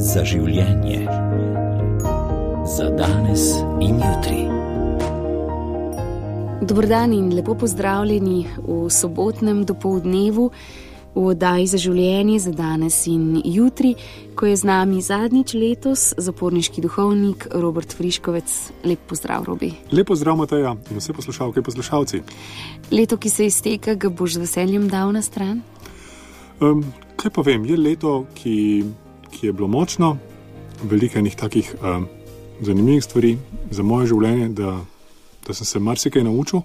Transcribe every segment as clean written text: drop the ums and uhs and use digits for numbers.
za življenje. Za danes in jutri. Dober dan in lepo pozdravljeni v sobotnem dopoldnevu v oddaji za življenje, za danes in jutri, ko je z nami zadnjič letos zaporniški duhovnik Robert Friškovec. Lep pozdrav, Robi. Lep pozdrav, Mateja, in vse poslušalke in poslušalci. Leto, ki se izteka, ga boš z veseljem dal na stran? Kaj pa vem, je leto, ki je bilo močno, veliko enih takih zanimivih stvari za moje življenje, da sem se marsikaj naučil.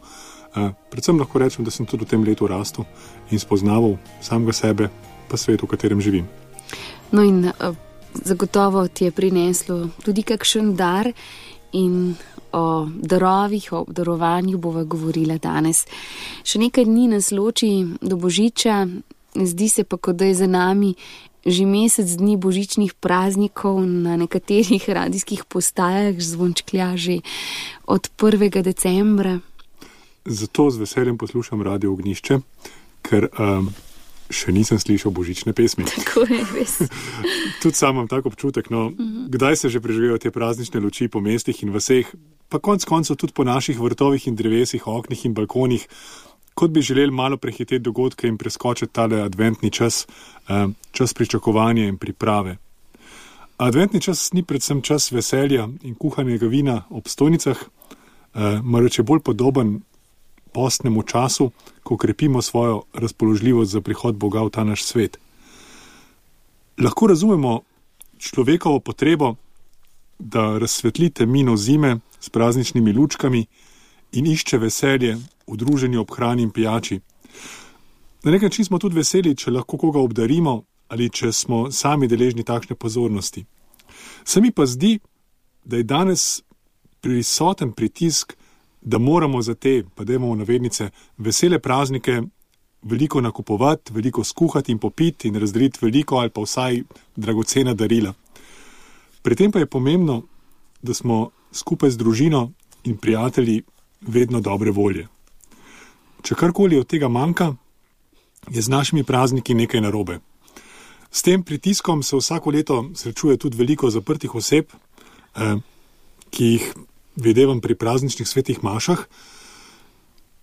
Predvsem lahko rečem, da sem tudi v tem letu rastel in spoznaval samega sebe pa svet, v katerem živim. No in zagotovo ti je prineslo tudi kakšen dar in o darovih, o darovanju bova govorila danes. Še nekaj dni nas loči do Božiča, zdi se pa, kot da je za nami že mesec dni božičnih praznikov, na nekaterih radijskih postajah zvončklja že od 1. decembra. Zato z veseljem poslušam Radio Ognjišče, ker še nisem slišal božične pesmi. Tako je, res. Tudi sam imam tak občutek, kdaj se že preživijo te praznične luči po mestih in vaseh, pa konec koncev tudi po naših vrtovih in drevesih, oknih in balkonih, kot bi želeli malo prehiteti dogodke in preskočiti tale adventni čas, čas pričakovanja in priprave. Adventni čas ni predvsem čas veselja in kuhanega vina ob stojnicah, marveč je bolj podoben postnemu času, ko krepimo svojo razpoložljivost za prihod Boga v ta naš svet. Lahko razumemo človekovo potrebo, da razsvetli temnino zime s prazničnimi lučkami in išče veselje v druženju ob hrani in pijači. Na nek način smo tudi veseli, če lahko koga obdarimo ali če smo sami deležni takšne pozornosti. Se mi pa zdi, da je danes prisoten pritisk, da moramo za te, pa dajmo v navednice, vesele praznike veliko nakupovati, veliko skuhati in popiti in razdeliti veliko ali pa vsaj dragocena darila. Pri tem pa je pomembno, da smo skupaj z družino in prijatelji vedno dobre volje. Če karkoli od tega manjka, je z našimi prazniki nekaj narobe. S tem pritiskom se vsako leto srečuje tudi veliko zaprtih oseb, ki jih videvam pri prazničnih svetih mašah.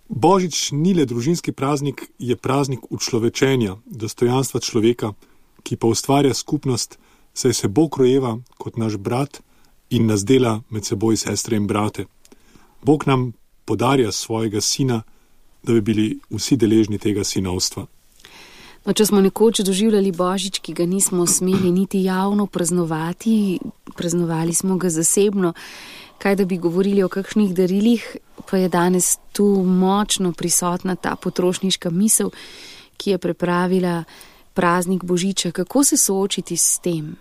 Božič ni le družinski praznik, je praznik učlovečenja, dostojanstva človeka, ki pa ustvarja skupnost, saj se Bog rojeva kot naš brat in nas dela med seboj sestre in brate. Bog nam podarja svojega sina, da bi bili vsi deležni tega sinovstva. No, če smo nekoč doživljali Božič, ki ga nismo smeli niti javno praznovati, praznovali smo ga zasebno, kaj da bi govorili o kakšnih darilih, pa je danes tu močno prisotna ta potrošniška misel, ki je pripravila praznik Božiča. Kako se soočiti s tem?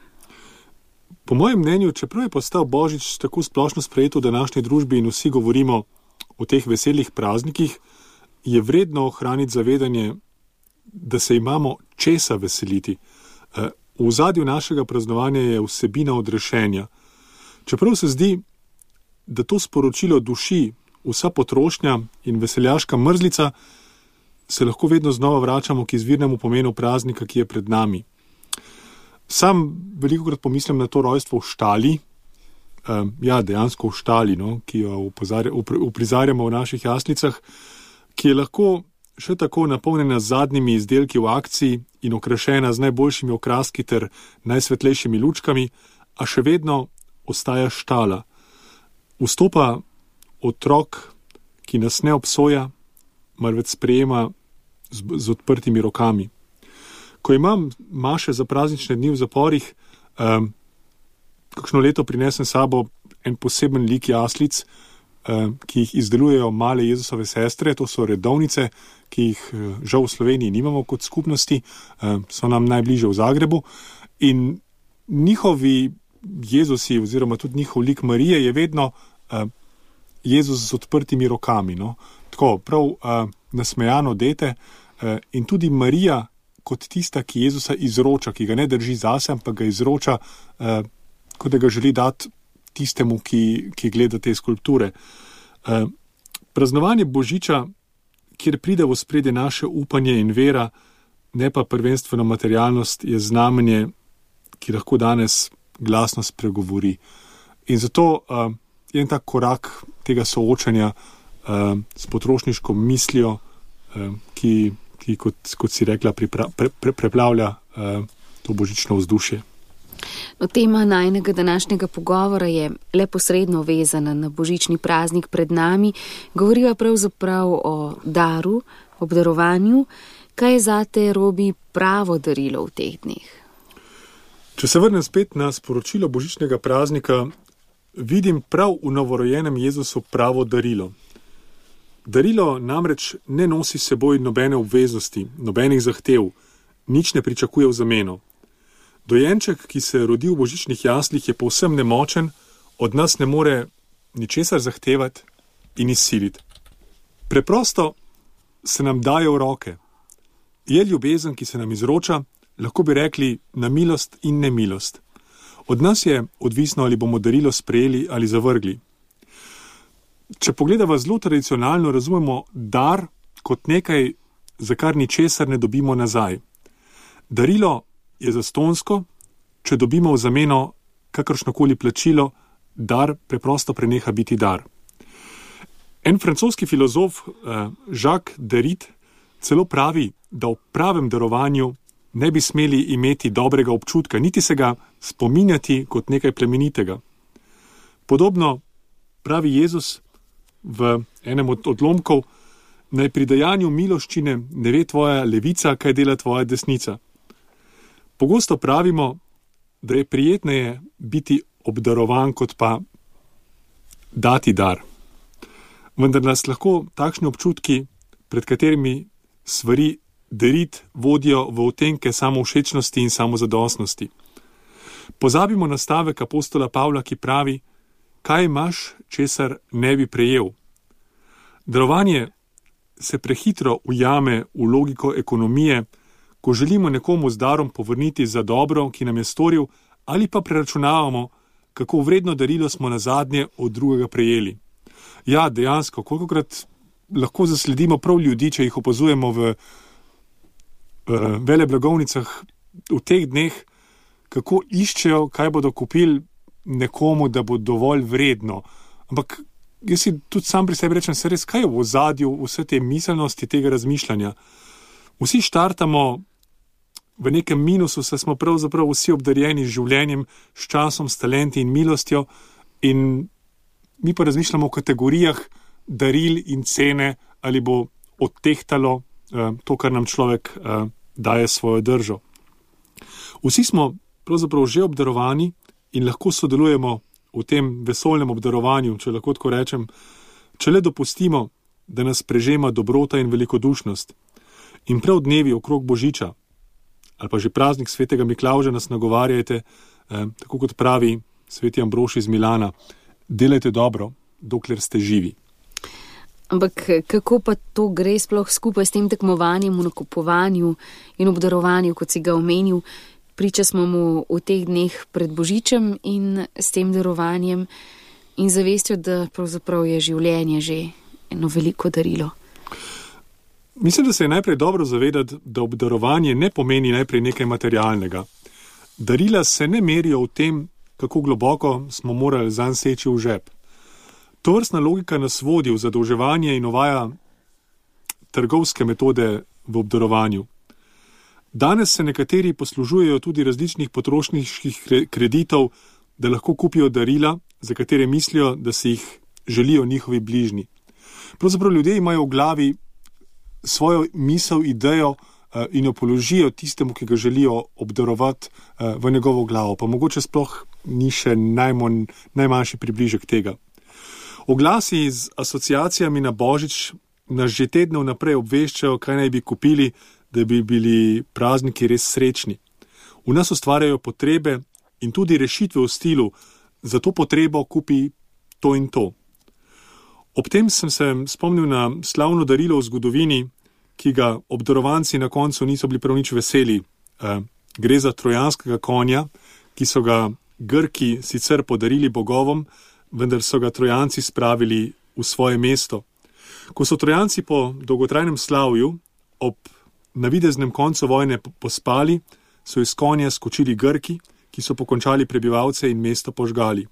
Po mojem mnenju, čeprav je postal Božič tako splošno sprejet v današnji družbi in vsi govorimo o teh veselih praznikih, je vredno ohraniti zavedanje, da se imamo česa veseliti. V ozadju našega praznovanja je vsebina odrešenja. Čeprav se zdi, da to sporočilo duši vsa potrošnja in veseljaška mrzlica, se lahko vedno znova vračamo k izvirnemu pomenu praznika, ki je pred nami. Sam velikokrat pomislim na to rojstvo v štali, dejansko v štali, ki jo uprizarjamo v naših jaslicah, ki je lahko še tako napolnjena z zadnjimi izdelki v akciji in okrašena z najboljšimi okraski ter najsvetlejšimi lučkami, a še vedno ostaja štala. Vstopa otrok, ki nas ne obsoja, marveč sprejema z odprtimi rokami. Ko imam maše za praznične dni v zaporih, kakšno leto prinesem sabo en poseben lik jaslic, ki jih izdelujejo male Jezusove sestre, to so redovnice, ki jih žal v Sloveniji nimamo kot skupnosti, so nam najbližje v Zagrebu, in njihovi Jezusi oziroma tudi njihov lik Marije je vedno Jezus z odprtimi rokami. Tako, prav nasmejano dete, in tudi Marija kot tista, ki Jezusa izroča, ki ga ne drži zase, ampak ga izroča, kot da ga želi dati tistemu, ki gleda te skulpture. Praznovanje Božiča, kjer pride v ospredje naše upanje in vera, ne pa prvenstveno materialnost, je znamenje, ki lahko danes glasno spregovori. In zato je en tak korak tega soočanja s potrošniško mislijo, ki kot si rekla, preplavlja to božično vzdušje. No, tema najnega današnjega pogovora je le posredno vezana na božični praznik pred nami. Govoriva pravzaprav o daru, obdarovanju. Kaj je zate, Robi, pravo darilo v teh dneh? Če se vrnem spet na sporočilo božičnega praznika, vidim prav v novorojenem Jezusu pravo darilo. Darilo namreč ne nosi s seboj nobene obveznosti, nobenih zahtev, nič ne pričakuje v zameno. Dojenček, ki se rodi v božičnih jaslih, je povsem nemočen, od nas ne more ničesar zahtevati in izsiliti. Preprosto se nam daje v roke. Je ljubezen, ki se nam izroča, lahko bi rekli na milost in nemilost. Od nas je odvisno, ali bomo darilo sprejeli ali zavrgli. Če pogledava zelo tradicionalno, razumemo dar kot nekaj, za kar ničesar ne dobimo nazaj. Darilo je zastonjsko, če dobimo v zameno kakršnokoli plačilo, dar preprosto preneha biti dar. En francoski filozof, Jacques Derrida, celo pravi, da v pravem darovanju ne bi smeli imeti dobrega občutka, niti se ga spominjati kot nekaj plemenitega. Podobno pravi Jezus v enem od odlomkov, naj pri dajanju miloščine ne ve tvoja levica, kaj dela tvoja desnica. Pogosto pravimo, da je prijetneje biti obdarovan, kot pa dati dar. Vendar nas lahko takšni občutki, pred katerimi svari Derrida, vodijo v odtenke samovšečnosti in samozadostnosti. Pozabimo na stavek apostola Pavla, ki pravi, kaj imaš, česar ne bi prejel. Darovanje se prehitro ujame v logiko ekonomije, ko želimo nekomu z darom povrniti za dobro, ki nam je storil, ali pa preračunavamo, kako vredno darilo smo nazadnje od drugega prejeli. Ja, dejansko, kolikokrat lahko zasledimo prav ljudi, če jih opazujemo v veleblagovnicah v teh dneh, kako iščejo, kaj bodo kupili nekomu, da bo dovolj vredno. Ampak jaz si tudi sam pri sebi rečem, se res, kaj je v ozadju vse te miselnosti, tega razmišljanja. Vsi štartamo v nekem minusu, saj smo pravzaprav vsi obdarjeni z življenjem, s časom, s talenti in milostjo, in mi pa razmišljamo o kategorijah daril in cene, ali bo odtehtalo to, kar nam človek daje svojo držo. Vsi smo pravzaprav že obdarovani in lahko sodelujemo v tem vesoljnem obdarovanju, če lahko tako rečem, če le dopustimo, da nas prežema dobrota in velikodušnost. In prav dnevi okrog Božiča, ali pa že praznik svetega Miklavža nas nagovarjajte, tako kot pravi sveti Ambrož iz Milana, delajte dobro, dokler ste živi. Ampak kako pa to gre sploh skupaj s tem tekmovanjem v nakupovanju in obdarovanju, kot si ga omenil? Priča smo mu v teh dneh pred Božičem in s tem darovanjem in zavestjo, da pravzaprav je življenje že eno veliko darilo. Mislim, da se je najprej dobro zavedati, da obdarovanje ne pomeni najprej nekaj materialnega. Darila se ne merijo v tem, kako globoko smo morali zanj seči v žep. Tovrstna logika nas vodi v zadolževanje in uvaja trgovske metode v obdarovanju. Danes se nekateri poslužujejo tudi različnih potrošniških kreditov, da lahko kupijo darila, za katere mislijo, da si jih želijo njihovi bližnji. Pravzaprav ljudje imajo v glavi svojo misel, idejo in jo položijo tistemu, ki ga želijo obdarovati v njegovo glavo, pa mogoče sploh ni še najmanjši približek tega. Oglasi z asociacijami na Božič nas že tedne vnaprej obveščajo, kaj naj bi kupili, da bi bili prazniki res srečni. V nas ustvarjajo potrebe in tudi rešitve v stilu, za to potrebo kupi to in to. Ob tem sem se spomnil na slavno darilo v zgodovini, ki ga obdarovanci na koncu niso bili prav nič veseli. Gre za trojanskega konja, ki so ga Grki sicer podarili bogovom, vendar so ga Trojanci spravili v svoje mesto. Ko so Trojanci po dolgotrajnem slavju ob navideznem koncu vojne pospali, so iz konja skočili Grki, ki so pokončali prebivalce in mesto požgali.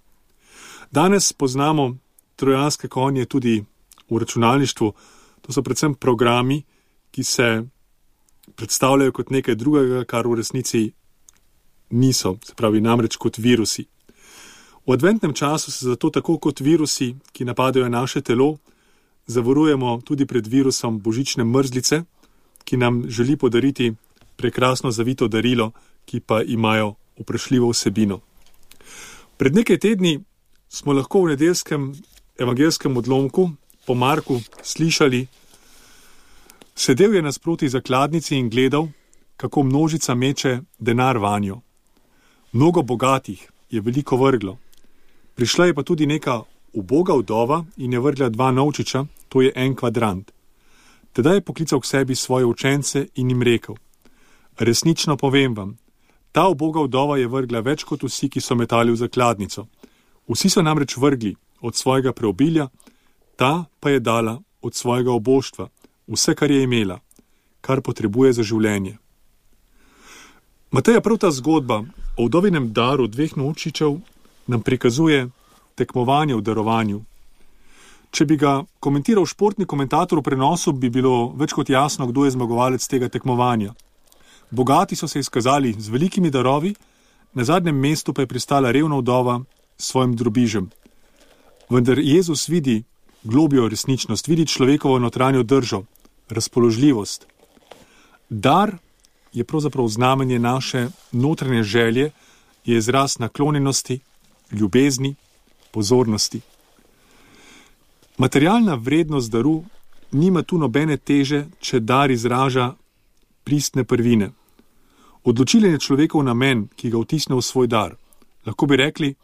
Danes poznamo trojanske konje tudi v računalništvu. To so predvsem programi, ki se predstavljajo kot nekaj drugega, kar v resnici niso, se pravi namreč kot virusi. V adventnem času se zato tako kot virusi, ki napadajo naše telo, zavarujemo tudi pred virusom božične mrzlice, ki nam želi podariti prekrasno zavito darilo, ki pa imajo vprašljivo vsebino. Pred nekaj tedni smo lahko v nedeljskem evangelskem odlomku po Marku slišali: sedel je nasproti zakladnici in gledal, kako množica meče denar vanjo. Mnogo bogatih je veliko vrglo. Prišla je pa tudi neka uboga vdova in je vrgla 2 novčiča, to je 1 kvadrant. Tedaj je poklical k sebi svoje učence in jim rekel: resnično povem vam, ta uboga vdova je vrgla več kot vsi, ki so metali v zakladnico. Vsi so namreč vrgli od svojega preobilja, ta pa je dala od svojega oboštva vse, kar je imela, kar potrebuje za življenje. Mateja, prav ta zgodba o vdovinem daru 2 novčičev nam prikazuje tekmovanje v darovanju. Če bi ga komentiral športni komentator v prenosu, bi bilo več kot jasno, kdo je zmagovalec tega tekmovanja. Bogati so se izkazali z velikimi darovi, na zadnjem mestu pa je pristala revna vdova s svojim drobižem. Vendar Jezus vidi globjo resničnost, vidi človekovo notranjo držo, razpoložljivost. Dar je pravzaprav znamenje naše notranje želje, je izraz naklonjenosti, ljubezni, pozornosti. Materialna vrednost daru nima tu nobene teže, če dar izraža pristne prvine. Odločilen je človekov namen, ki ga vtisne v svoj dar. Lahko bi rekli,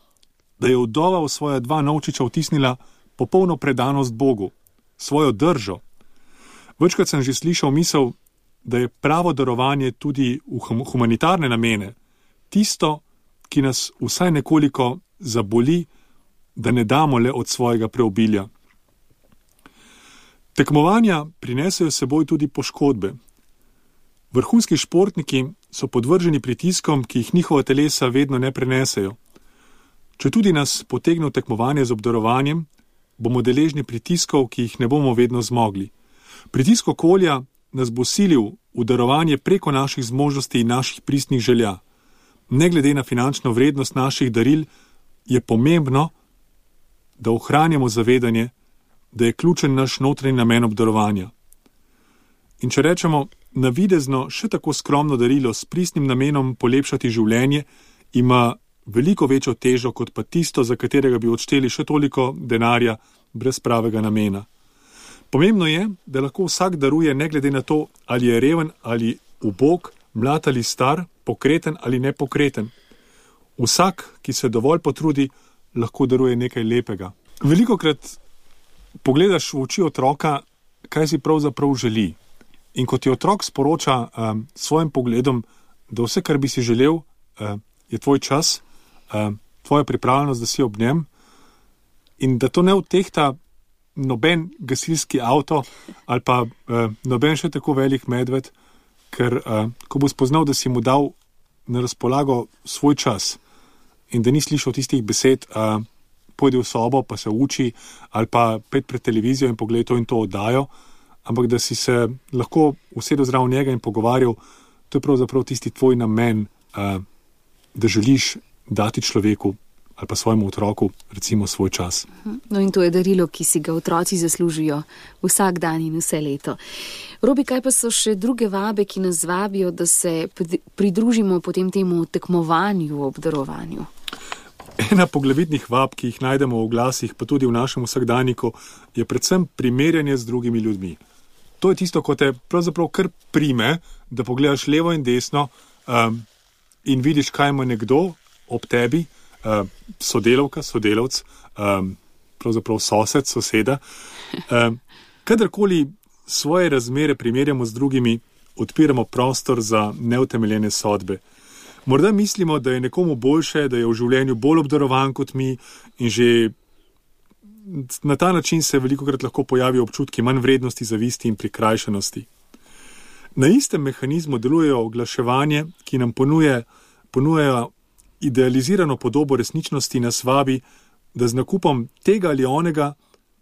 da je vdova v svoja 2 novčiča vtisnila popolno predanost Bogu, svojo držo. Večkrat sem že slišal misel, da je pravo darovanje tudi v humanitarne namene, tisto, ki nas vsaj nekoliko zaboli, da ne damo le od svojega preobilja. Tekmovanja prinesejo seboj tudi poškodbe. Vrhunski športniki so podvrženi pritiskom, ki jih njihova telesa vedno ne prenesejo. Če tudi nas potegne v tekmovanje z obdarovanjem, bomo deležni pritiskov, ki jih ne bomo vedno zmogli. Pritisk okolja nas bo silil v darovanje preko naših zmožnosti in naših pristnih želja. Ne glede na finančno vrednost naših daril, je pomembno, da ohranjamo zavedanje, da je ključen naš notranji namen obdarovanja. In če rečemo, navidezno še tako skromno darilo s pristnim namenom polepšati življenje, ima veliko večjo težo kot pa tisto, za katerega bi odšteli še toliko denarja brez pravega namena. Pomembno je, da lahko vsak daruje ne glede na to, ali je reven ali ubog, mlad ali star, pokreten ali nepokreten. Vsak, ki se dovolj potrudi, lahko daruje nekaj lepega. Velikokrat pogledaš v oči otroka, kaj si pravzaprav želi. In ko ti otrok sporoča svojim pogledom, da vse, kar bi si želel, je tvoj čas, tvoja pripravljenost, da si ob njem, in da to ne odtehta noben gasilski avto ali pa noben še tako velik medved, ker ko bo spoznal, da si mu dal na razpolago svoj čas in da ni slišal tistih besed, pojdi v sobo pa se uči ali pa pet pred televizijo in pogled to in to oddajo, ampak da si se lahko usedel zraven njega in pogovarjal, to je pravzaprav tisti tvoj namen, da želiš dati človeku ali pa svojemu otroku recimo svoj čas. No in to je darilo, ki si ga otroci zaslužijo vsak dan in vse leto. Robi, kaj pa so še druge vabe, ki nas vabijo, da se pridružimo potem temu tekmovanju, obdarovanju? Ena poglavitnih vab, ki jih najdemo v glasih, pa tudi v našem vsakdaniku, je predvsem primerjanje z drugimi ljudmi. To je tisto, ko te pravzaprav kar prime, da pogledaš levo in desno in vidiš, kaj ima nekdo ob tebi, sodelavka, sodelavc, pravzaprav sosed, soseda. Kadarkoli svoje razmere primerjamo z drugimi, odpiramo prostor za neutemeljene sodbe. Morda mislimo, da je nekomu boljše, da je v življenju bolj obdarovan kot mi in že na ta način se velikokrat lahko pojavijo občutki manj vrednosti, zavisti in prikrajšanosti. Na istem mehanizmu delujejo oglaševanje, ki nam ponujajo idealizirano podobo resničnosti nas vabi, da z nakupom tega ali onega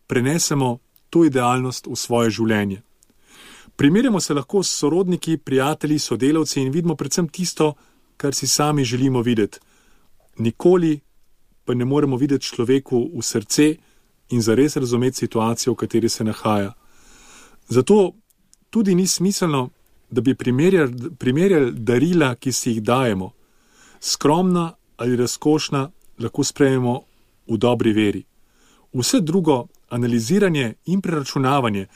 prenesemo to idealnost v svoje življenje. Primerjamo se lahko s sorodniki, prijatelji, sodelavci in vidimo predvsem tisto, kar si sami želimo videti. Nikoli pa ne moremo videti človeku v srce in zares razumeti situacijo, v kateri se nahaja. Zato tudi ni smiselno, da bi primerjali darila, ki si jih dajemo. Skromna ali razkošna lahko sprejmemo v dobri veri. Vse drugo, analiziranje in preračunavanje,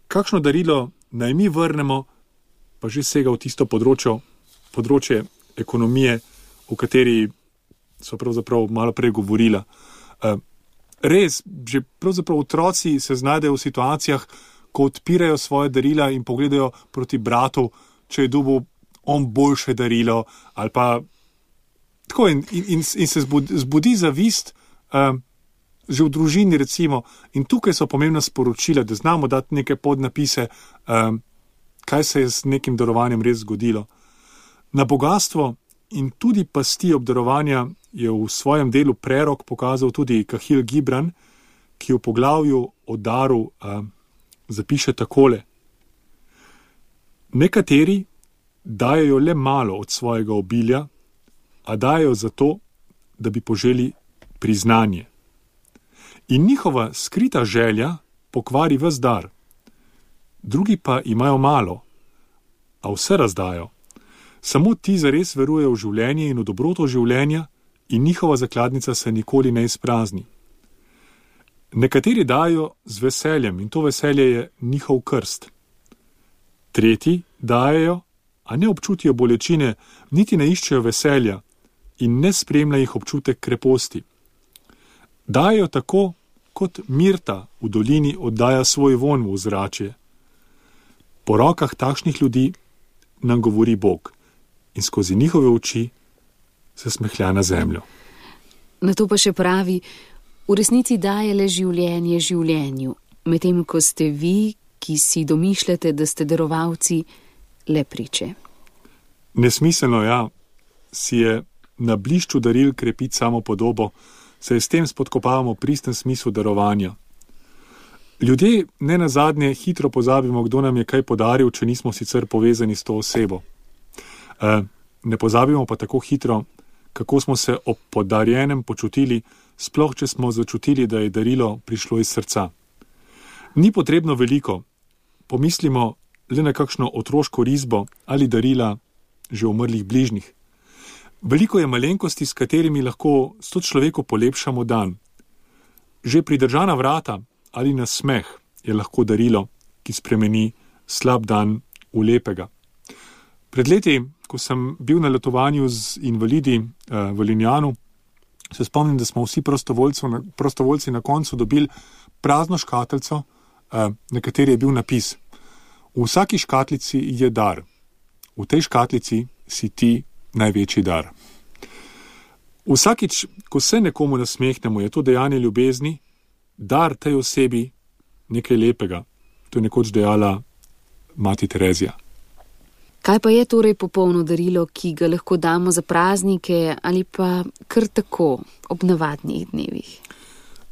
kakšno darilo naj mi vrnemo, pa že sega v tisto področje ekonomije, o kateri so pravzaprav malo prej govorila. Res, že pravzaprav otroci se znajdejo v situacijah, ko odpirajo svoje darila in pogledajo proti bratu, če je dobil on boljše darilo, ali pa tako in se zbudi zavist, že v družini recimo, in tukaj so pomembna sporočila, da znamo dati neke podnapise, kaj se je z nekim darovanjem res zgodilo. Na bogatstvo in tudi pasti obdarovanja je v svojem delu Prerok pokazal tudi Kahil Gibran, ki v poglavju o daru zapiše takole. Nekateri dajejo le malo od svojega obilja, a dajejo zato, da bi poželi priznanje. In njihova skrita želja pokvari ves dar. Drugi pa imajo malo, a vse razdajo. Samo ti zares verujejo v življenje in v dobroto življenja in njihova zakladnica se nikoli ne izprazni. Nekateri dajo z veseljem in to veselje je njihov krst. Tretji dajejo, a ne občutijo bolečine, niti ne iščejo veselja in ne spremlja jih občutek kreposti. Dajejo tako, kot mirta v dolini oddaja svoj vonj v ozračje. Po rokah takšnih ljudi nam govori Bog in skozi njihove oči se smehlja na zemljo. Na to pa še pravi, v resnici daje le življenje življenju, medtem ko ste vi, ki si domišljate, da ste darovalci, le priče. Nesmiselno, ja, si je na blišču daril krepiti samo podobo, saj s tem spodkopavamo pristen smisel darovanja. Ljudje ne nazadnje hitro pozabimo, kdo nam je kaj podaril, če nismo sicer povezani s to osebo. Ne pozabimo pa tako hitro, kako smo se ob podarjenem počutili, sploh če smo začutili, da je darilo prišlo iz srca. Ni potrebno veliko, pomislimo le na kakšno otroško risbo ali darila že umrlih bližnjih. Veliko je malenkosti, s katerimi lahko s to človeku polepšamo dan. Že pridržana vrata ali nasmeh je lahko darilo, ki spremeni slab dan v lepega. Pred leti, ko sem bil na letovanju z invalidi v Linjanu, se spomnim, da smo vsi prostovoljci na koncu dobili prazno škatlico, na kateri je bil napis: v vsaki škatlici je dar, v tej škatlici si ti največji dar. Vsakič, ko se nekomu nasmehnemo, je to dejanje ljubezni, dar tej osebi nekaj lepega. To je nekoč dejala mati Terezija. Kaj pa je torej popolno darilo, ki ga lahko damo za praznike ali pa kar tako ob navadnih dnevih?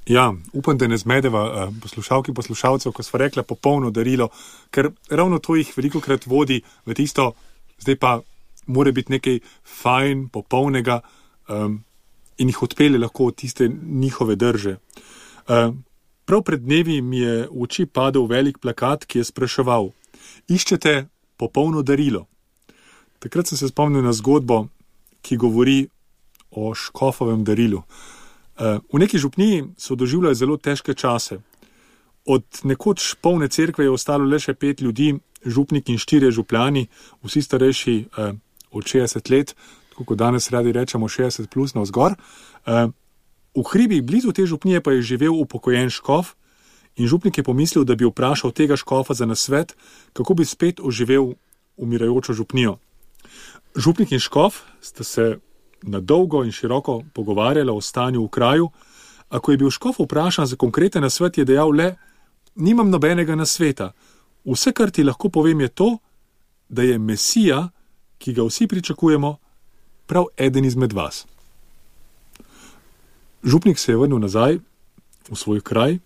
Ja, upam, da ne zmedeva poslušalki poslušalcev, ko sva rekla popolno darilo, ker ravno to jih velikokrat vodi v tisto, zdaj pa mora biti nekaj fajn, popolnega in jih odpelje lahko od tiste njihove drže. Prav pred dnevi mi je v oči padel velik plakat, ki je spraševal: iščete popolno darilo. Takrat sem se spomnil na zgodbo, ki govori o škofovem darilu. V neki župniji so doživljali zelo težke čase. Od nekoč polne cerkve je ostalo le še 5 ljudi, župnik in 4 župljani, vsi starejši od 60 let, tako kot danes radi rečemo 60 plus navzgor. V hribih blizu te župnije pa je živel upokojen škof in župnik je pomislil, da bi vprašal tega škofa za nasvet, kako bi spet oživel umirajočo župnijo. Župnik in škof sta se na dolgo in široko pogovarjala o stanju v kraju, a ko je bil škof vprašan za konkreten nasvet, je dejal le: nimam nobenega nasveta. Vse, kar ti lahko povem, je to, da je Mesija, ki ga vsi pričakujemo, prav eden izmed vas. Župnik se je vrnil nazaj v svoj kraj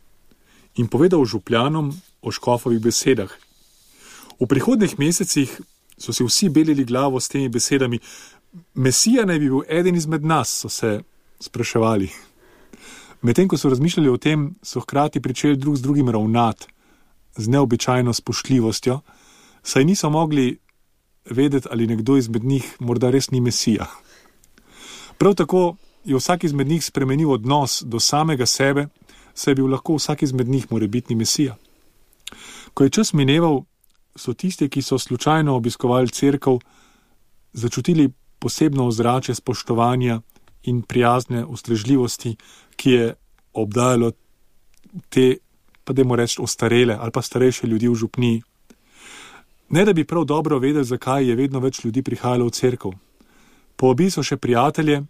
in povedal župljanom o škofovih besedah. V prihodnjih mesecih so si vsi belili glavo s temi besedami. Mesija naj bi bil eden izmed nas, so se spraševali. Medtem, ko so razmišljali o tem, so hkrati pričeli drug z drugim ravnati z neobičajno spoštljivostjo, saj niso mogli vedeti, ali nekdo izmed njih morda res ni Mesija. Prav tako je vsak izmed njih spremenil odnos do samega sebe, saj je bil lahko vsak izmed njih morebitni Mesija. Ko je čas mineval, so tisti, ki so slučajno obiskovali cerkev, začutili posebno ozračje spoštovanja in prijazne ustrežljivosti, ki je obdajalo te, pa dajmo reči, ostarele ali pa starejše ljudi v župniji. Ne da bi prav dobro vedeli, zakaj je vedno več ljudi prihajalo v cerkev. Povabili so še prijatelje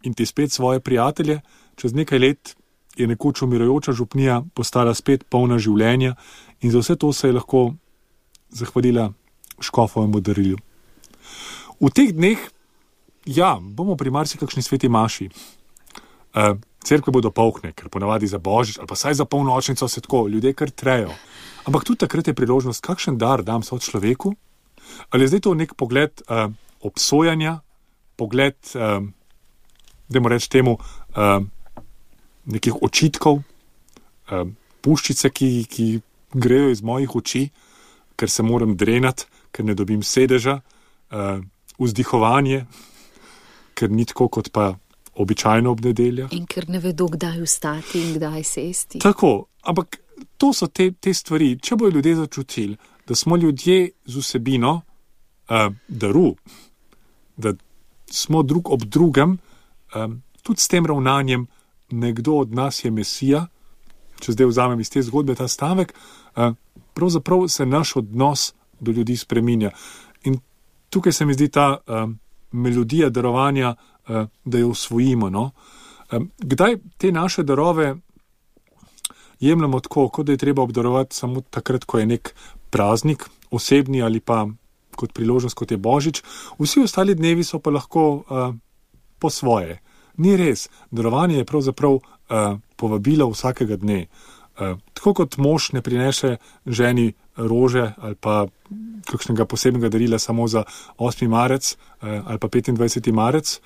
in ti spet svoje prijatelje. Čez nekaj let je nekoč umirajoča župnija postala spet polna življenja in za vse to se je lahko zahvalila škofovemu darilu. V teh dneh, bomo pri marsikakšni sveti maši. Cerkve bodo polkne, ker ponavadi za božič ali pa saj za polnočnico se tako ljudje kar trejo. Ampak tudi takrat je priložnost, kakšen dar dam so človeku? Ali je zdaj to nek pogled obsojanja, pogled, dajmo reči temu, nekih očitkov, puščice, ki grejo iz mojih oči, ker se moram drenati, ker ne dobim sedeža, vzdihovanje, ker ni tako kot pa običajno ob nedeljah. In ker ne vedo, kdaj vstati in kdaj sesti. Tako, ampak to so te stvari. Če bojo ljudje začutili, da smo ljudje z vsebino daru, da smo drug ob drugem, tudi s tem ravnanjem, nekdo od nas je Mesija, če zdaj vzamem iz te zgodbe ta stavek, pravzaprav se naš odnos do ljudi spreminja. In tukaj se mi zdi ta melodija darovanja, da jo usvojimo. No? Kdaj te naše darove jemljamo tako, kot da je treba obdarovati samo takrat, ko je nek praznik, osebni ali pa kot priložnost, kot je Božič. Vsi ostali dnevi so pa lahko po svoje. Ni res. Darovanje je pravzaprav povabilo vsakega dne. Tako kot mož ne prinese ženi rože ali pa kakšnega posebnega darila samo za 8. marec ali pa 25. marec,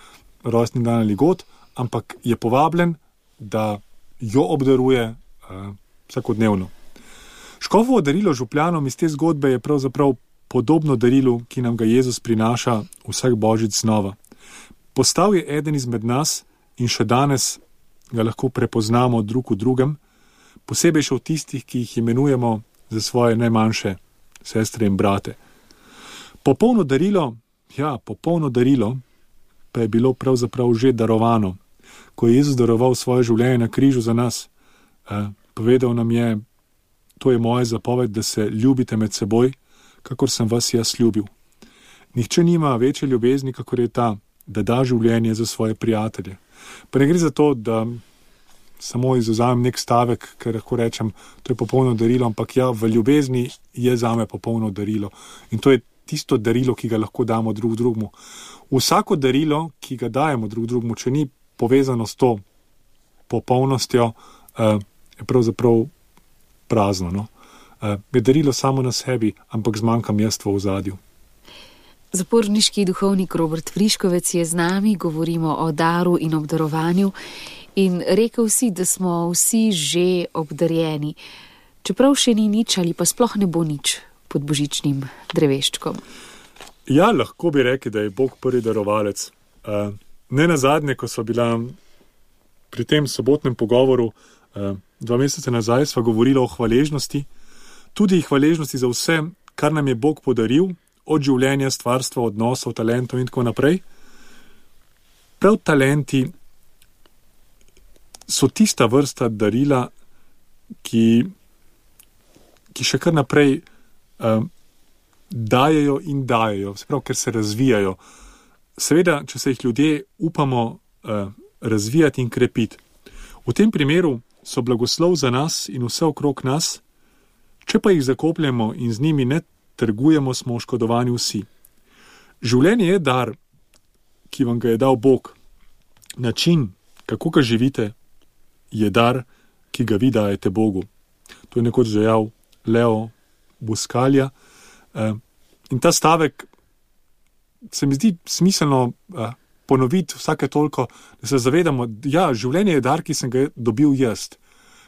rojstni dan ali god, ampak je povabljen, da jo obdaruje vsakodnevno. Škofovo darilo župljanom iz te zgodbe je pravzaprav podobno darilu, ki nam ga Jezus prinaša vsak božič znova. Postal je eden izmed nas in še danes ga lahko prepoznamo drug v drugem, posebej še v tistih, ki jih imenujemo za svoje najmanjše sestre in brate. Popolno darilo pa je bilo pravzaprav že darovano, ko je Jezus daroval svoje življenje na križu za nas. Povedal nam je, to je moja zapoved, da se ljubite med seboj, kakor sem vas jaz ljubil. Nihče nima večje ljubezni, kakor je ta, da da življenje za svoje prijatelje. Pa ne gre za to, da samo izvzamem nek stavek, ker lahko rečem, to je popolno darilo, ampak v ljubezni je zame popolno darilo. In to je tisto darilo, ki ga lahko damo drug drugmu. Vsako darilo, ki ga dajemo drug drugmu, če ni povezano s to popolnostjo, je pravzaprav prazno. No? Je darilo samo na sebi, ampak zmanjkam jaz v ozadju. Zaporniški duhovnik Robert Friškovec je z nami, govorimo o daru in obdarovanju in rekel si, da smo vsi že obdarjeni, čeprav še ni nič ali pa sploh ne bo nič pod božičnim dreveščkom. Ja, lahko bi rekli, da je Bog prvi darovalec. Ne nazadnje, ko sva bila pri tem sobotnem pogovoru 2 meseca nazaj, sva govorila o hvaležnosti, tudi hvaležnosti za vse, kar nam je Bog podaril, od življenja, stvarstva, odnosov, talentov in tako naprej. Prav talenti so tista vrsta darila, ki še kar naprej dajejo in dajejo, se pravi, ker se razvijajo. Seveda, če se jih ljudje upamo razvijati in krepiti. V tem primeru so blagoslov za nas in vse okrog nas, če pa jih zakopljemo in z njimi ne trgujemo, smo oškodovani vsi. Življenje je dar, ki vam ga je dal Bog. Način, kako ga živite, je dar, ki ga vi dajete Bogu. To je nekoč dejal Leo Buscaglia. In ta stavek se mi zdi smiselno ponoviti vsake toliko, da se zavedamo, ja, življenje je dar, ki sem ga dobil jaz.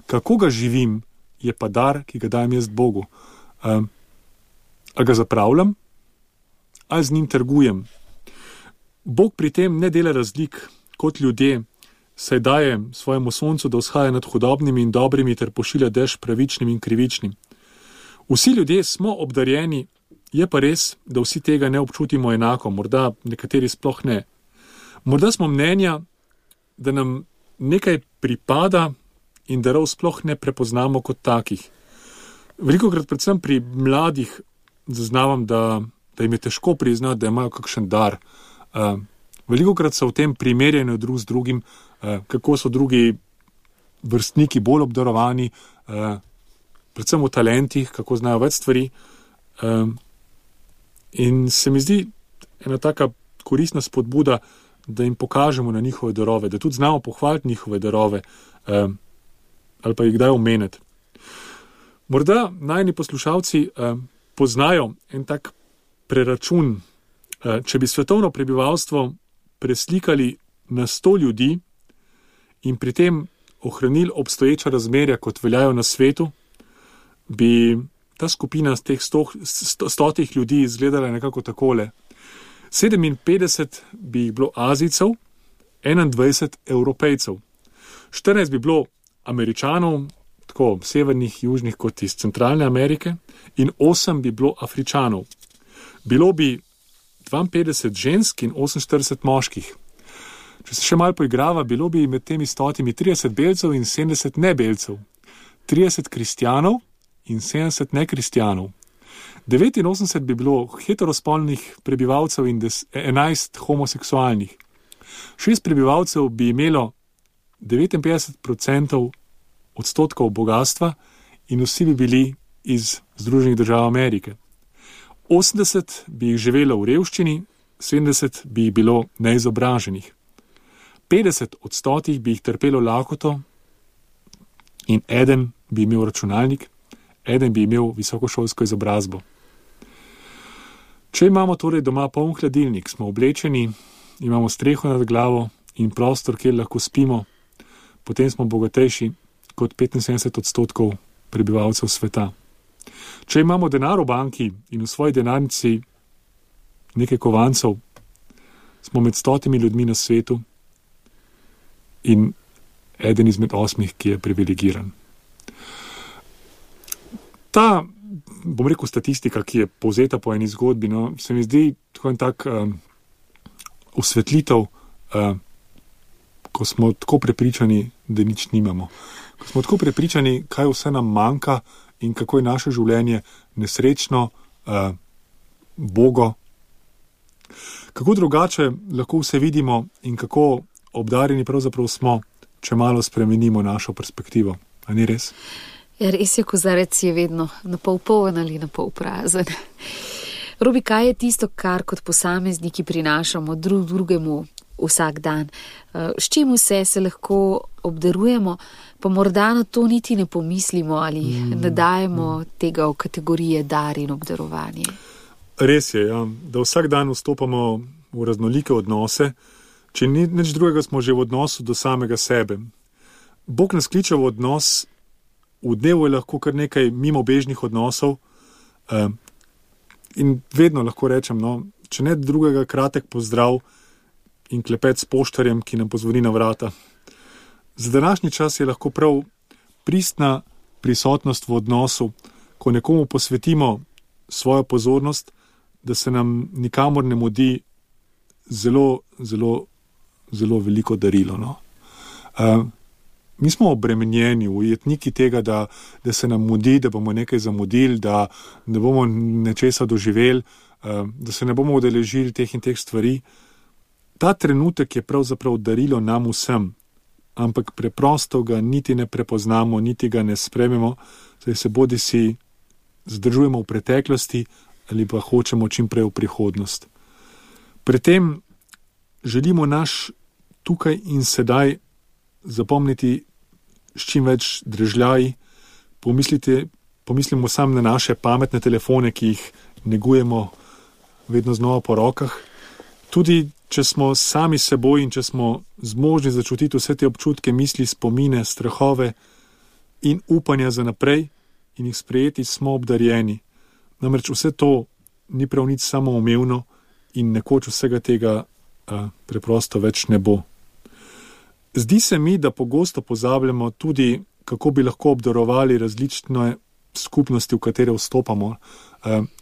Kako ga živim, je pa dar, ki ga dajem jaz Bogu. Ali ga zapravljam, ali z njim trgujem. Bog pri tem ne dela razlik kot ljudje, saj daje svojemu soncu, da vzhaja nad hudobnimi in dobrimi ter pošilja dež pravičnim in krivičnim. Vsi ljudje smo obdarjeni, je pa res, da vsi tega ne občutimo enako, morda nekateri sploh ne. Morda smo mnenja, da nam nekaj pripada in darov sploh ne prepoznamo kot takih. Velikokrat predvsem pri mladih zaznavam, da jim je težko priznati, da imajo kakšen dar. Velikokrat so v tem primerjanju drug z drugim, kako so drugi vrstniki bolj obdarovani, predvsem v talentih, kako znajo več stvari. In se mi zdi ena taka koristna spodbuda, da jim pokažemo na njihove darove, da tudi znamo pohvaliti njihove darove ali pa jih kdaj omeniti. Morda najni poslušalci poznajo en tak preračun, če bi svetovno prebivalstvo preslikali na 100 ljudi in pri tem ohranili obstoječa razmerja, kot veljajo na svetu, bi ta skupina teh 100 ljudi izgledala nekako takole. 57 bi jih bilo Azijcev, 21 Evropejcev, 14 bi bilo Američanov, tako severnih, južnih kot iz Centralne Amerike, in 8 bi bilo Afričanov. Bilo bi 52 žensk in 48 moških. Če se še malo poigrava, bilo bi med temi 100 30 belcev in 70 nebelcev, 30 kristjanov in 70 nekristjanov. 89 bi bilo heterospolnih prebivalcev in 11 homoseksualnih. 6 prebivalcev bi imelo 59% odstotkov bogatstva in vsi bi bili iz Združenih držav Amerike. 80 bi jih živelo v revščini, 70 bi jih bilo neizobraženih. 50 od 100 bi jih trpelo lakoto in eden bi imel računalnik, eden bi imel visokošolsko izobrazbo. Če imamo torej doma poln hladilnik, smo oblečeni, imamo streho nad glavo in prostor, kjer lahko spimo, potem smo bogatejši kot 75% prebivalcev sveta. Če imamo denar v banki in v svoji denarnici nekaj kovancev, smo med 100 ljudmi na svetu in eden izmed 8, ki je privilegiran. Ta, bom rekel, statistika, ki je povzeta po eni zgodbi, no, se mi zdi tako en tak osvetlitev, ko smo tako prepričani, da nič nimamo. Ko smo tako prepričani, kaj vse nam manjka in kako je naše življenje nesrečno, bogo. Kako drugače lahko vse vidimo in kako obdarjeni pravzaprav smo, če malo spremenimo našo perspektivo. A ni res? Ja, res je, kozarec je vedno na pol poln ali na pol prazen. Robi, kaj je tisto, kar kot posamezniki prinašamo drugemu vsak dan? S čim vse se lahko obdarujemo, pa morda na to niti ne pomislimo ali ne dajemo tega v kategorije dar in obdarovanje? Res je, ja, da vsak dan vstopamo v raznolike odnose, če nič drugega smo že v odnosu do samega sebe. Bog nas kliče v odnos. V dnevu je lahko kar nekaj mimobežnih odnosov in vedno lahko rečem, no, če ne drugega, kratek pozdrav in klepet s poštarjem, ki nam pozvoni na vrata. Za današnji čas je lahko prav pristna prisotnost v odnosu, ko nekomu posvetimo svojo pozornost, da se nam nikamor ne mudi zelo, zelo, zelo veliko darilo. No. Mi smo obremenjeni, ujetniki tega, da se nam mudi, da bomo nekaj zamudili, da ne bomo nečesa doživeli, da se ne bomo udeležili teh in teh stvari. Ta trenutek je pravzaprav darilo nam vsem, ampak preprosto ga niti ne prepoznamo, niti ga ne sprememo, saj se bodisi zadržujemo v preteklosti ali pa hočemo čim prej v prihodnost. Pri tem želimo naš tukaj in sedaj zapomniti s čim več drežljaj, pomislimo sam na naše pametne telefone, ki jih negujemo vedno znova po rokah. Tudi, če smo sami seboj in če smo zmožni začutiti vse te občutke, misli, spomine, strahove in upanja za naprej in jih sprejeti, smo obdarjeni. Namreč vse to ni prav nič samoumevno in nekoč vsega tega preprosto več ne bo. Zdi se mi, da pogosto pozabljamo tudi, kako bi lahko obdarovali različne skupnosti, v katere vstopamo.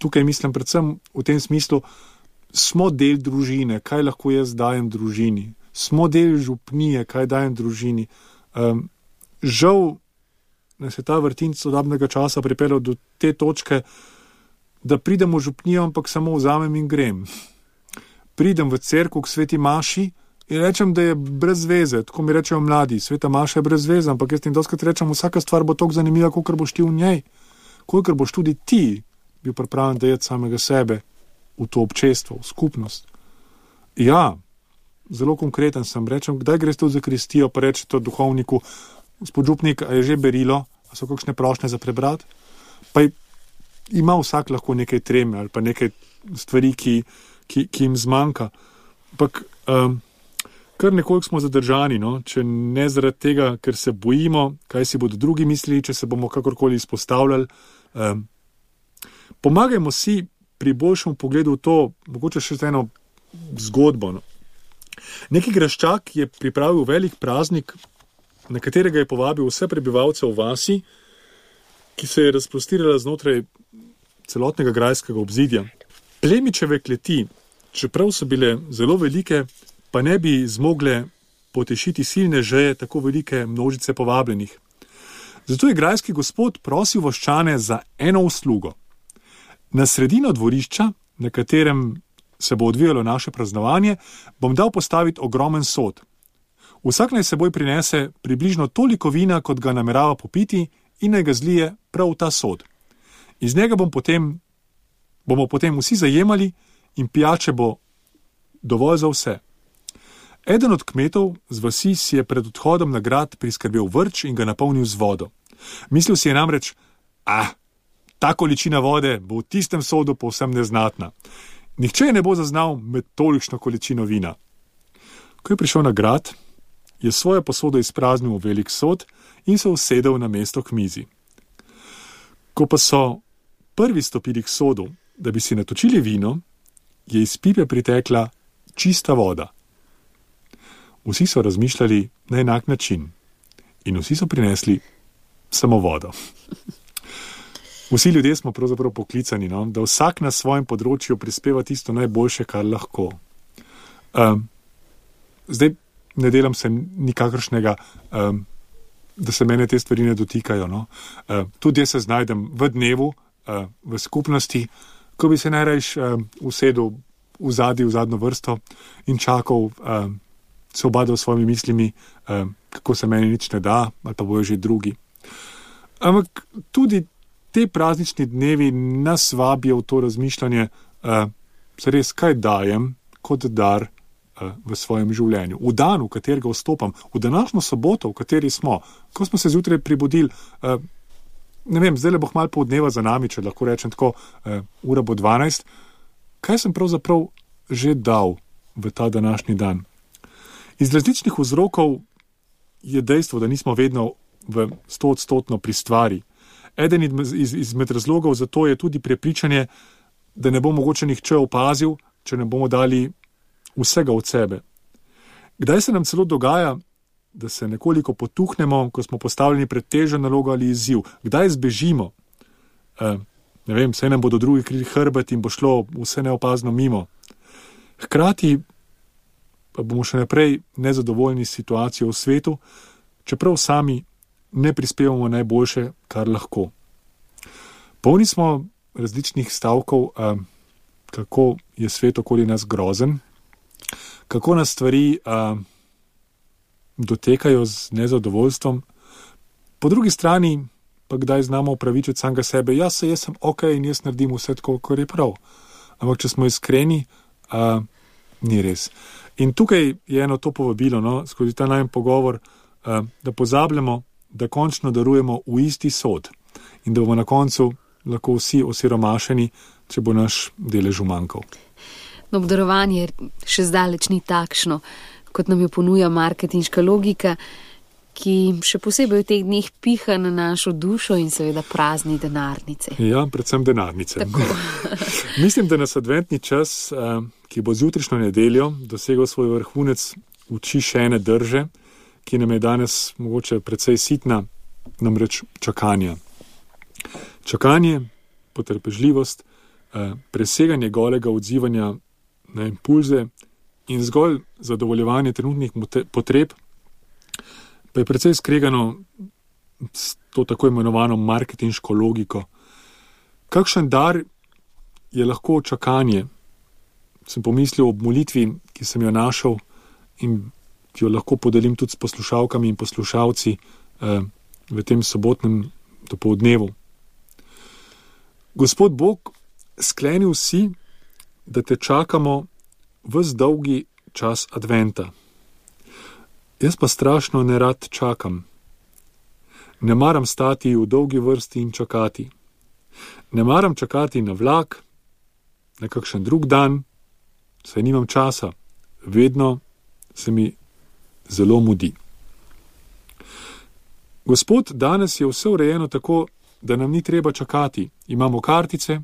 Tukaj mislim predvsem v tem smislu, smo del družine, kaj lahko jaz dajem družini. Smo del župnije, kaj dajem družini. Žal nas je ta vrtinc sodobnega časa pripeljal do te točke, da pridem v župnijo, ampak samo vzamem in grem. Pridem v cerkev k sveti maši in rečem, da je brez veze. Tako mi rečejo mladi, sveta maša je brez veze, ampak jaz jim doskrat rečem, vsaka stvar bo toliko zanimiva, kolikor boš ti v njej. Kolikor boš tudi ti bil pripravljen dajati samega sebe v to občestvo, v skupnost. Ja, zelo konkreten sem. Rečem, kdaj greš tu za kristijo, pa reče to duhovniku, gospod župnik, a je že berilo, a so kakšne prošnje za prebrati? Pa ima vsak lahko nekaj treme ali pa nekaj stvari, ki jim zmanjka. Ampak kar nekoliko smo zadržani, no? Če ne zaradi tega, ker se bojimo, kaj si bodo drugi mislili, če se bomo kakorkoli izpostavljali. Pomagajmo si pri boljšem pogledu v to, mogoče še eno zgodbo. No? Neki graščak je pripravil velik praznik, na katerega je povabil vse prebivalce v vasi, ki se je razprostirala znotraj celotnega grajskega obzidja. Plemičeve kleti, čeprav so bile zelo velike, pa ne bi zmogle potešiti silne žeje tako velike množice povabljenih. Zato je grajski gospod prosil vaščane za eno uslugo. Na sredino dvorišča, na katerem se bo odvijalo naše praznovanje, bom dal postaviti ogromen sod. Vsak naj seboj prinese približno toliko vina, kot ga namerava popiti, in naj ga zlije prav v ta sod. Iz njega bomo potem vsi zajemali in pijače bo dovolj za vse. Eden od kmetov z vasi si je pred odhodom na grad priskrbel vrč in ga napolnil z vodo. Mislil si je namreč, ta količina vode bo v tistem sodu povsem neznatna. Nihče ne bo zaznal med tolikšno količino vina. Ko je prišel na grad, je svojo posodo izpraznil v velik sod in se usedel na mesto k mizi. Ko pa so prvi stopili k sodu, da bi si natočili vino, je iz pipe pritekla čista voda. Vsi so razmišljali na enak način in vsi so prinesli samo vodo. Vsi ljudje smo pravzaprav poklicani, no? Da vsak na svojem področju prispeva tisto najboljše, kar lahko. Zdaj ne delam se nikakršnega, da se mene te stvari ne dotikajo. No? Tudi jaz se znajdem v dnevu, v skupnosti, ko bi se najrajš usedel v zadnjo vrsto in čakal, se obadal s svojimi mislimi, kako se meni nič ne da, ali pa bojo že drugi. Ampak tudi te praznični dnevi nas vabijo v to razmišljanje, se res kaj dajem kot dar v svojem življenju. V dan, v katerega vstopam, v današnjo soboto, v kateri smo, ko smo se zjutraj prebudili, ne vem, zdaj le bo malo pol dneva za nami, če lahko rečem tako, ura bo 12, kaj sem pravzaprav že dal v ta današnji dan? Iz različnih vzrokov je dejstvo, da nismo vedno v 100% pri stvari. Eden izmed razlogov za to je tudi prepričanje, da ne bo mogoče nihče opazil, če ne bomo dali vsega od sebe. Kdaj se nam celo dogaja, da se nekoliko potuhnemo, ko smo postavljeni pred težjo nalogo ali izziv? Kdaj zbežimo? Ne vem, saj nam bodo drugi krili hrbet in bo šlo vse neopazno mimo. Hkrati pa bomo še naprej nezadovoljni s situacijo v svetu, čeprav sami ne prispevamo najboljše, kar lahko. Polni smo različnih stavkov, kako je svet okoli nas grozen, kako nas stvari dotekajo z nezadovoljstvom. Po drugi strani pa kdaj znamo upravičiti samega sebe, jaz sem ok in jaz naredim vse tako, kar je prav. Ampak če smo iskreni, ni res. In tukaj je eno to povabilo, no, skozi ta najen pogovor, da pozabljamo, da končno darujemo v isti sod in da bomo na koncu lahko vsi osiromašeni, če bo naš delež umanjkal. No, obdarovanje še zdaleč ni takšno, kot nam jo ponuja marketinška logika, ki še posebej v teh dneh piha na našo dušo in seveda prazni denarnice. Ja, predvsem denarnice. Mislim, da nas adventni čas, ki bo z jutrišnjo nedeljo dosegel svoj vrhunec, uči še ene drže, ki nam je danes mogoče precej sitna, namreč čakanja. Čakanje, potrpežljivost, preseganje golega odzivanja na impulze in zgolj zadovoljevanje trenutnih potreb, pa je precej skregano s to tako imenovano marketinško logiko. Kakšen dar je lahko čakanje? Sem pomislil ob molitvi, ki sem jo našel in ki jo lahko podelim tudi s poslušalkami in poslušalci v tem sobotnem dopoldnevu. Gospod Bog, sklenil si, da te čakamo ves dolgi čas adventa. Jaz pa strašno nerad čakam. Ne maram stati v dolgi vrsti in čakati. Ne maram čakati na vlak, na kakšen drug dan, saj nimam časa. Vedno se mi zelo mudi. Gospod, danes je vse urejeno tako, da nam ni treba čakati. Imamo kartice,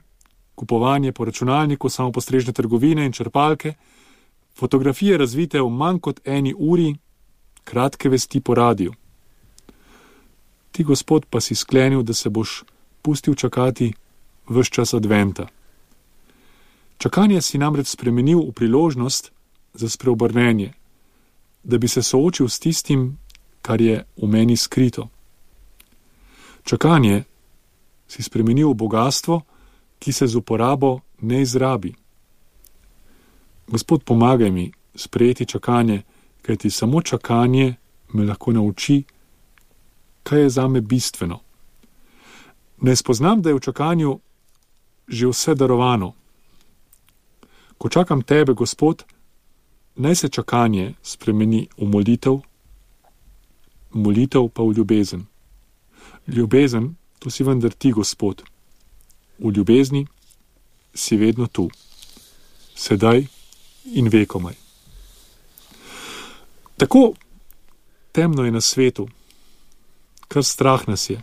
kupovanje po računalniku, samopostrežne trgovine in črpalke, fotografije razvite v manj kot 1 uri, kratke vesti po radiju. Ti, Gospod, pa si sklenil, da se boš pustil čakati ves čas adventa. Čakanje si namreč spremenil v priložnost za spreobrnenje, da bi se soočil s tistim, kar je v meni skrito. Čakanje si spremenil v bogastvo, ki se z uporabo ne izrabi. Gospod, pomagaj mi sprejeti čakanje, kajti samo čakanje me lahko nauči, kaj je zame bistveno. Ne spoznam, da je v čakanju že vse darovano. Ko čakam tebe, Gospod, naj se čakanje spremeni v molitev, molitev pa v ljubezen. Ljubezen, to si vendar ti, Gospod. V ljubezni si vedno tu, sedaj in vekomaj. Tako temno je na svetu, kar strah nas je.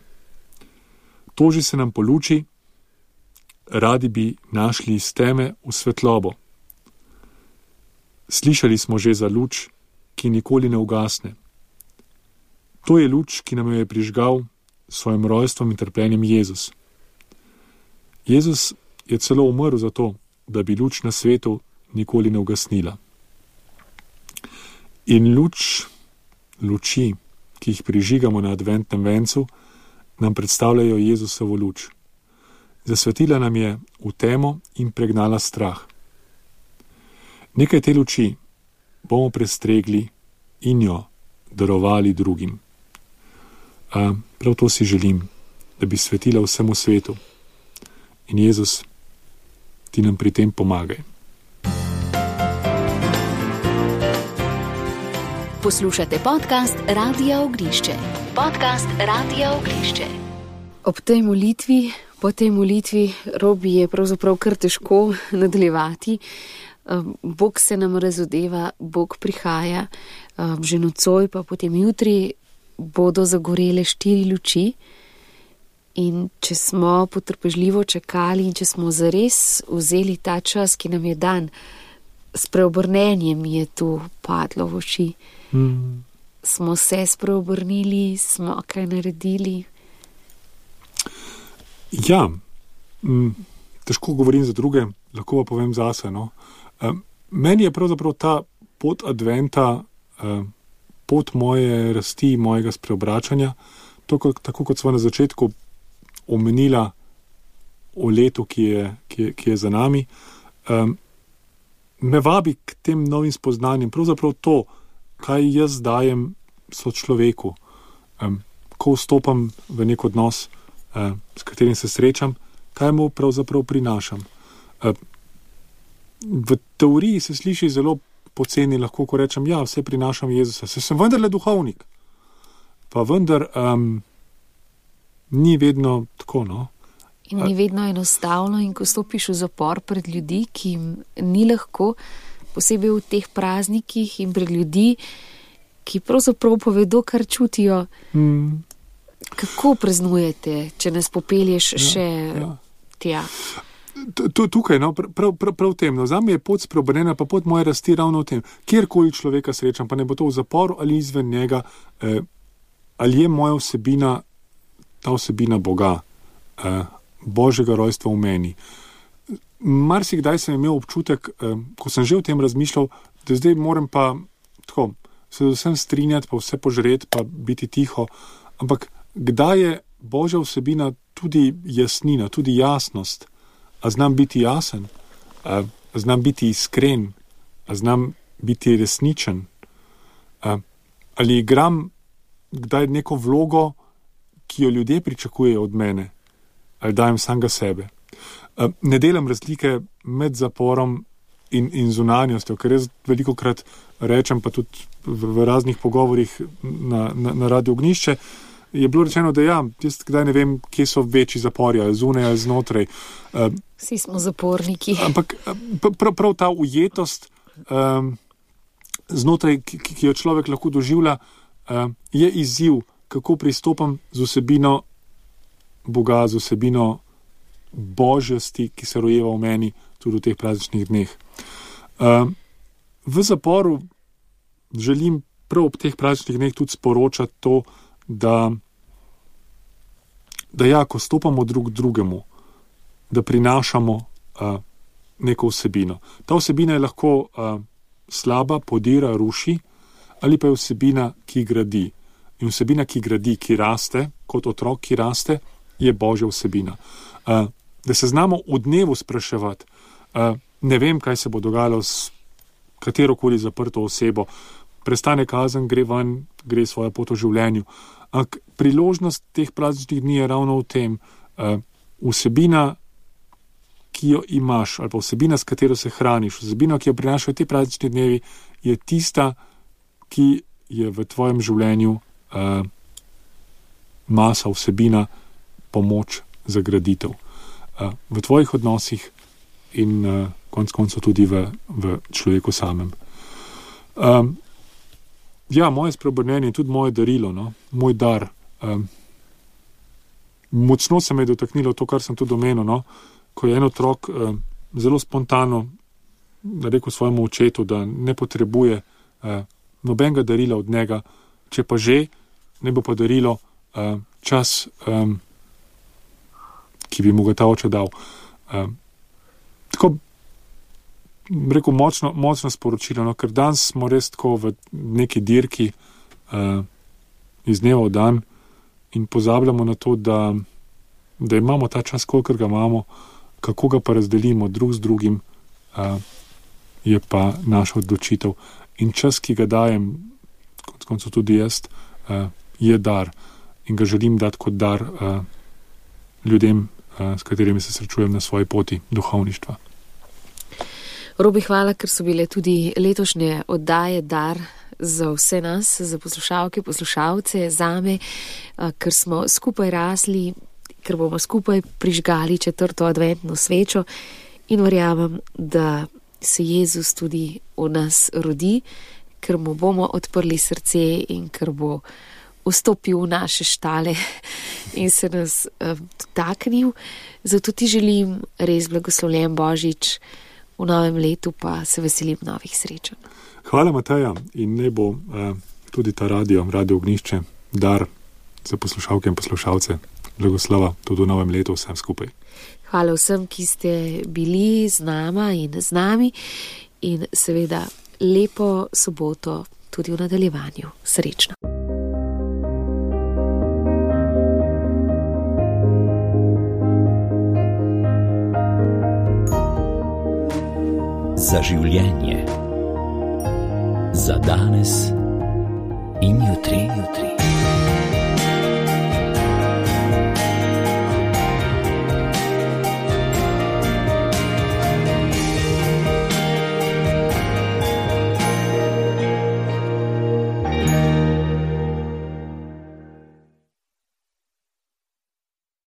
Toži se nam po luči, radi bi našli iz teme v svetlobo. Slišali smo že za luč, ki nikoli ne ugasne. To je luč, ki nam jo je prižgal s svojim rojstvom in trpljenjem Jezus. Jezus je celo umrl za to, da bi luč na svetu nikoli ne ugasnila. In luči, ki jih prižigamo na adventnem vencu, nam predstavljajo Jezusovo luč. Zasvetila nam je v temo in pregnala strah. Nekaj te luči bomo prestregli in jo darovali drugim. Prav to si želim, da bi svetila vsemu svetu. In Jezus, ti nam pri tem pomagaj. Poslušate podcast Radia Ognišče. Podcast Radia Ognišče. Ob tej molitvi, po tej molitvi, Robi, je pravzaprav kar težko nadaljevati. Bog se nam razodeva, Bog prihaja, že nocoj pa potem jutri bodo zagorele 4 luči. In če smo potrpežljivo čakali in če smo zares vzeli ta čas, ki nam je dan, s preobrnenjem je tu padlo v oči. Smo se spreobrnili, smo kaj naredili? Ja, težko govorim za druge, lahko pa povem zase. No. Meni je pravzaprav ta pot adventa, pot moje rasti, mojega spreobračanja, tako kot smo na začetku omenila o letu, ki je za nami, me vabi k tem novim spoznanjem. Pravzaprav to, kaj jaz dajem sočloveku, ko vstopam v nek odnos, s katerim se srečam, kaj mu pravzaprav prinašam. V teoriji se sliši zelo poceni, lahko ko rečem, ja, vse prinašam Jezusa, se sem vendarle duhovnik. pa vendar ni vedno tako, no. In ni vedno enostavno, in ko stopiš v zapor pred ljudi, ki jim ni lahko, posebej v teh praznikih in pred ljudi, ki pravzaprav povedo, kar čutijo. Kako praznujete, če nas popelješ še tja? Tukaj, no, prav tem, no, zame je pot spreobrnjena, pa pot moje rasti ravno v tem, kjerkoli človeka srečam, pa ne bo to v zaporu ali izven njega, ali je moja vsebina, ta vsebina Boga, Božjega rojstva v meni. Marsikdaj sem imel občutek, ko sem že o tem razmišljal, da zdaj moram pa tako se vsem strinjati, pa vse požreti, pa biti tiho, ampak kdaj je Božja vsebina tudi jasnina, tudi jasnost? A znam biti jasen? A znam biti iskren? A znam biti resničen? Ali igram kdaj neko vlogo, ki jo ljudje pričakujejo od mene? Ali dajem samega sebe? Ne delam razlike med zaporom in zunanjostjo, ker jaz velikokrat rečem, pa tudi v raznih pogovorih na Radio Ognjišče, je bilo rečeno, da jaz kdaj ne vem, kje so večji zapori, ali zunaj, ali znotraj. Vsi smo zaporniki. Ampak prav ta ujetost znotraj, ki jo človek lahko doživlja, je izziv, kako pristopam z vsebino Boga, z vsebino božjosti, ki se rojeva v meni tudi v teh prazničnih dneh. V zaporu želim prav ob teh prazničnih dneh tudi sporočati to, da ko stopamo drug drugemu, da prinašamo neko vsebino. Ta vsebina je lahko slaba, podira, ruši, ali pa je vsebina, ki gradi. In vsebina, ki gradi, ki raste, kot otrok, ki raste, je Božja vsebina. Da se znamo v dnevu spraševati, ne vem, kaj se bo dogajalo s katerokoli zaprto osebo, prestane kazen, gre ven, gre svojo pot v življenju. Ampak priložnost teh prazničnih dni je ravno v tem, vsebina, ki jo imaš, ali pa vsebina, s katero se hraniš, vsebina, ki jo prinašajo te praznični dnevi, je tista, ki je v tvojem življenju masa, vsebina, pomoč za graditev. V tvojih odnosih in konec koncev tudi v človeku samem. Moje spreobrnjenje je tudi moje darilo, no? Moj dar. Močno se me je dotaknilo to, kar sem tudi omenil, no? Ko je en otrok zelo spontano rekel svojemu očetu, da ne potrebuje nobenega darila od njega, če pa že, ne bo pa darilo čas, ki bi mu ga ta oče dal. Tako rekel, močno sporočilo, no, ker danes smo res tako v neki dirki iz dneva v dan in pozabljamo na to, da imamo ta čas, kolikor ga imamo, kako ga pa razdelimo drug z drugim, je pa naša odločitev. In čas, ki ga dajem, konec koncev tudi jaz, je dar in ga želim dati kot dar ljudem, s katerimi se srečujem na svoji poti duhovništva. Robi, hvala, ker so bile tudi letošnje oddaje dar za vse nas, za poslušalke, poslušalce, zame, ker smo skupaj rasli, ker bomo skupaj prižgali 4. adventno svečo in verjamem, da se Jezus tudi v nas rodi, ker mu bomo odprli srce in ker bo vstopil v naše štale in se nas dotaknil. Zato ti želim res blagoslovljen Božič, v novem letu pa se veselim novih srečanj. Hvala, Mateja, in ne bo tudi ta Radio Ognjišče dar za poslušalke in poslušalce. Blagoslova tudi v novem letu vsem skupaj. Hvala vsem, ki ste bili z nama in z nami in seveda lepo soboto tudi v nadaljevanju. Srečno. Za življenje, za danes in jutri.